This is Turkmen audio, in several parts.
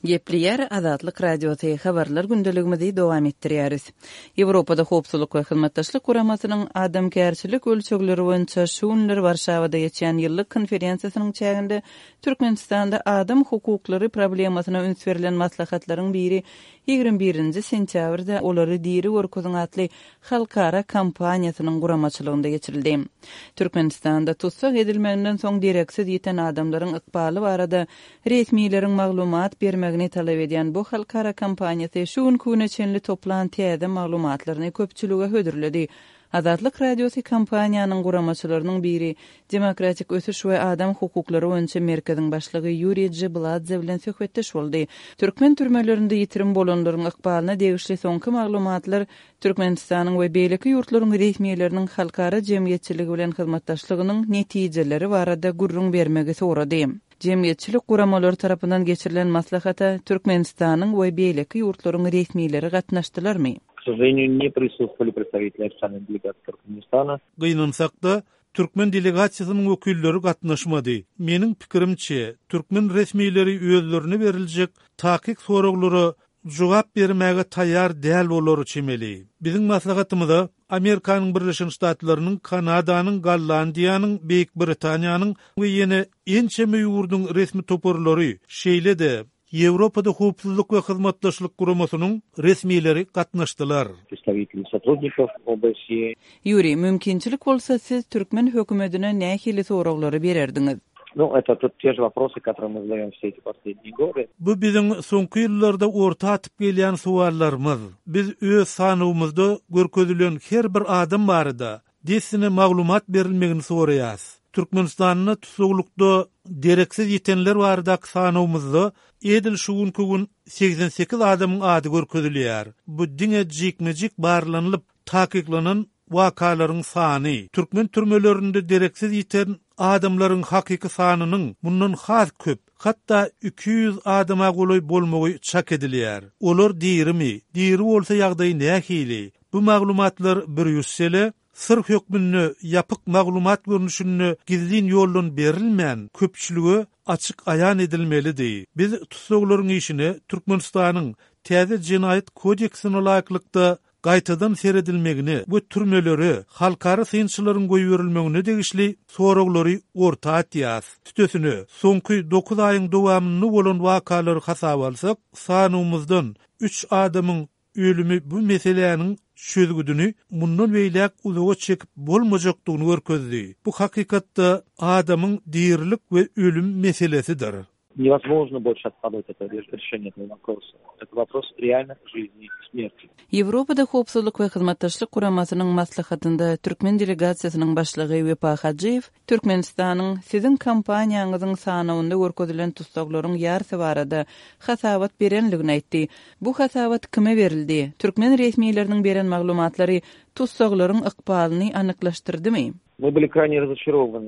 Gepleýär Azatlyk Radiosy, Habarlar gündeligimizi dowam etdirýäris. Ýewropada Howpsuzlyk we Hyzmatdaşlyk Guramasynyň adamkärçilik ölçegleri boýunça şu günler Warşawada geçýän ýyllyk konferensiýasynyň çäginde Türkmenistanda adam hukuklary problemasyna üns berlen maslahatlaryň biri 21 nji sentýabrda Olary diri görkeziň atly halkara kampaniýasynyň guramaçylygynda geçirildi. Türkmenistanda tussag edilmeginden soň dereksiz ýiten adamlaryň ykbaly barada resmileriň maglumat bermegini talap edýän bu halkara kampaniýasy şu günki güne çenli toplan täze maglumatlaryny köpçülige hödürledi. Azatlyk Radiosy kampaniýanyň guramaçylarynyň biri, Demokratik ösüş we adam hukuklary boýunça merkeziň başlygy Ýuriý Jibladze bilen söhbetdeş boldy. Türkmen türmelerinde ýitirim bolanlaryň ykbalyna degişli soňky maglumatlar Türkmenistanyň we beýleki ýurtlaryň resmileriniň halkara jemgyýetçiligi bilen hyzmatdaşlygynyň netijeleri barada gürrüň bermegi sorady. Jemgyýetçilik guramalary tarapyndan geçirilen maslahata Türkmenistanyň we beýleki ýurtlaryň resmileri gatnaşdylarmy? K sožaleniýu, ne prisutstwowali predstawiteli ofitsialnoý delegasiýi Türkmenistana. Gynansak-da, türkmen delegasiýasynyň wekilleri gatnaşmady. Meniň pikirimçe, türkmen resmileri özlerine beriljek takyk soraglara jogap bermäge taýýar däl bolar çemeli. Biziň maslahatymyza Amerikanyň Birleşen Ştatlarynyň, Kanadanyň, Gollandiýanyň, Beýik Britaniýanyň we ýene ençeme ýurduň resmi toparlary, şeýle-de, Ýewropada Howpsuzlyk we Hyzmatdaşlyk Guramasynyň resmileri gatnaşdylar. Predstawiteli sotrudnikow OBSE. Ýuriý, mümkinçilik bolsa siz türkmen hökümetine nähili soraglary bererdiňiz? Nu, eto tut te že woprosy, kotorye my zadaýom wse eti posledniye gody. Bu biziň soňky ýyllarda orta atyp gelýän sowallarymyz. Biz öz sanawymyzda görkezilen her bir adam barada dessine maglumat berilmegini soraýas. Türkmenistanda tussaglykda dereksiz ýitenler baradaky sanawymyzda edil şu günki gün 88 adamyň ady görkezilýär. Bu diňe jikme-jik barlanylyp, Takyklanan wakalaryň sany, türkmen türmelerinde dereksiz ýiten adamlaryň hakyky sanynyň mundan has köp, hatda 200 adama golaý bolmagy çak edilýär. Olar dirimi, diri bolsa ýagdaýy nähili? Bu maglumatlar Brýussele syr hökmünde ýapyk maglumat görnüşinde gizlin ýoldan berilmän, köpçülige açyk aýan edilmelidi. Biz tussaglaryň işine Türkmenistanyň täze Jenaýat kodeksine laýyklykda gaýtadan seredilmegine we türmelere halkara synçylaryň goýberilmegine degişli soraglary orta atýas. Üstesine, soňky dokuz aýyň dowamynda bolan wakalary hasaba alsak, sanawymyzdan üç adamyň ölümi bu meseläniň çözgüdini mundan beýläk uzaga çekip bolmajakdygyny görkezdi. Bu hakykatda adamyň dirilik we ölüm meselesidir. Newozmožno bolşe otkladywat eto rešeniýe etogo woprosa. Eto wopros realno žizni i smerti. Ýewropada Howpsuzlyk we Hyzmatdaşlyk Guramasynyň maslahatynda türkmen delegasiýasynyň başlygy Wepa Hajyýew Türkmenistanyň siziň kompaniýaňyzyň sanawynda görkezilen tussaglaryň ýarsy barada hasabat berenligini aýtdy. Bu hasabat kime berildi? Türkmen resmileriniň beren maglumatlary tussaglaryň ykbalyny anyklaşdyrdymy? My byli krayne razoçarowany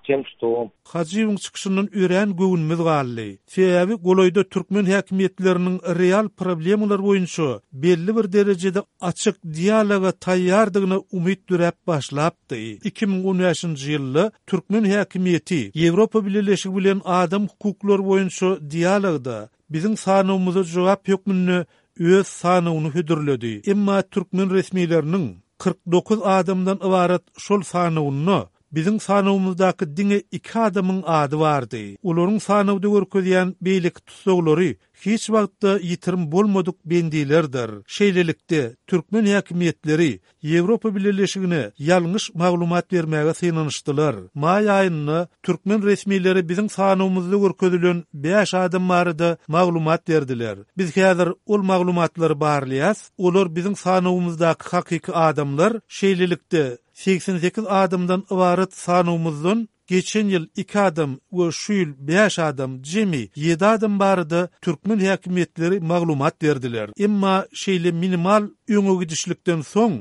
tem, çto. Hajyýewiň çykyşyndan örän göwnümiz galdy. Sebäbi golaýda türkmen häkimiýetleriniň real problemalar boýunça belli bir derejede açyk dialoga taýýardygyna umyt döräp başlapdy. 2015-nji ýylda türkmen häkimiýeti Ýewropa Bileleşigi bilen adam hukuklary boýunça dialogda biziň sanawymyza jogap hökmünde öz sanawyny hödürledi. Emma türkmen resmileriniň 49 adamdan ybarat şol sanawynda biziň sanawymyzdaky diňe iki adamyň ady bardy. Olaryň sanawda görkezýän beýleki tussaglary hiç wagtda ýitirim bolmadyk bendilerdir. Şeýlelikde, türkmen häkimiýetleri Ýewropa Bileleşigine ýalňyş maglumat bermäge synanyşdylar. Maý aýynda türkmen resmileri biziň sanawymyzda görkezilen bäş adam barada maglumat berdiler. Biz häzir ol maglumatlary barlaýas, olar biziň sanawymyzdaky hakyky adamlar, şeýlelikde, 88 adamdan ybarat sanawymyzdan Geçen ýyl iki adam we şu ýyl bäş adam, jemi ýedi adam barada türkmen häkimiýetleri maglumat berdiler. Emma şeýle minimal öňe gidişlikden soň,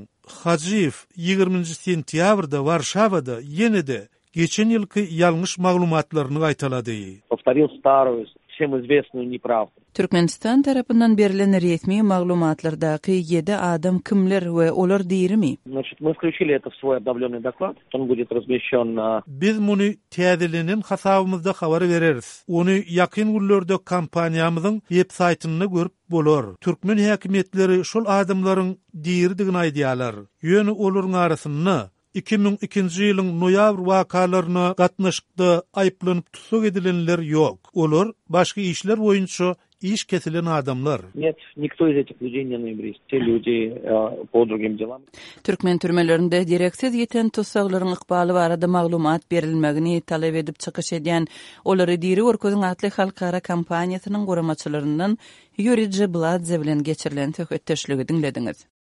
Hajyýew ýigriminji sentýabrda Warşawada ýene-de geçen ýylky ýalňyş maglumatlaryny gaýtalady. Powtoril staruýu. Всем известную неправду. Türkmenistan tarapyndan berlen resmi maglumatlardaky ýedi adam kimler we olar dirimi? Значит, мы включили это в свой обновленный доклад, он будет размещен на. Biz muny täzelenen hasabymyzda habar bereris. Ony ýakyn günlerde kompaniýamyzyň web saýtynda görüp bolar. Türkmen häkimiýetleri şol adamlaryň diridigini aýdýarlar. Ýöne olaryň arasynda 2002-nji ýylyň noýabr wakalaryna gatnaşykda aýyplanyp tussag edilenler ýok. Olar başga işler boýunça iş kesilen adamlar. Net, nikto iz etih lýudey ne noýabrist. Te lýudi po drugim delam. Türkmen türmelerinde dereksiz ýiten tussaglaryň ykbaly barada maglumat berilmegini talap edip çykyş edýän Olary diri görkeziň atly halkara kampaniýasynyň guramaçylaryndan Ýuriý Jebladze bilen geçirilen söhbetdeşligi diňlediňiz.